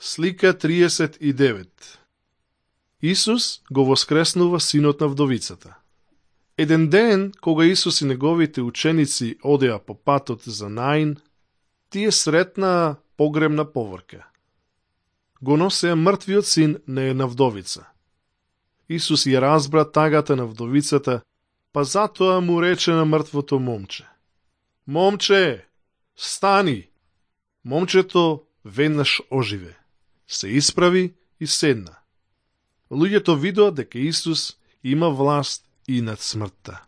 Слика 39. Исус го воскреснува синот на вдовицата. Еден ден, кога Исус и неговите ученици одеа по патот за Наин, тие сретнаа погребна поврка. Го носеа мртвиот син на една вдовица. Исус ја разбра тагата на вдовицата, па затоа му рече на мртвото момче: „Момче, стани!“ Момчето веднаш оживе, се исправи и седна. Луѓето видоа дека Исус има власт и над смртта.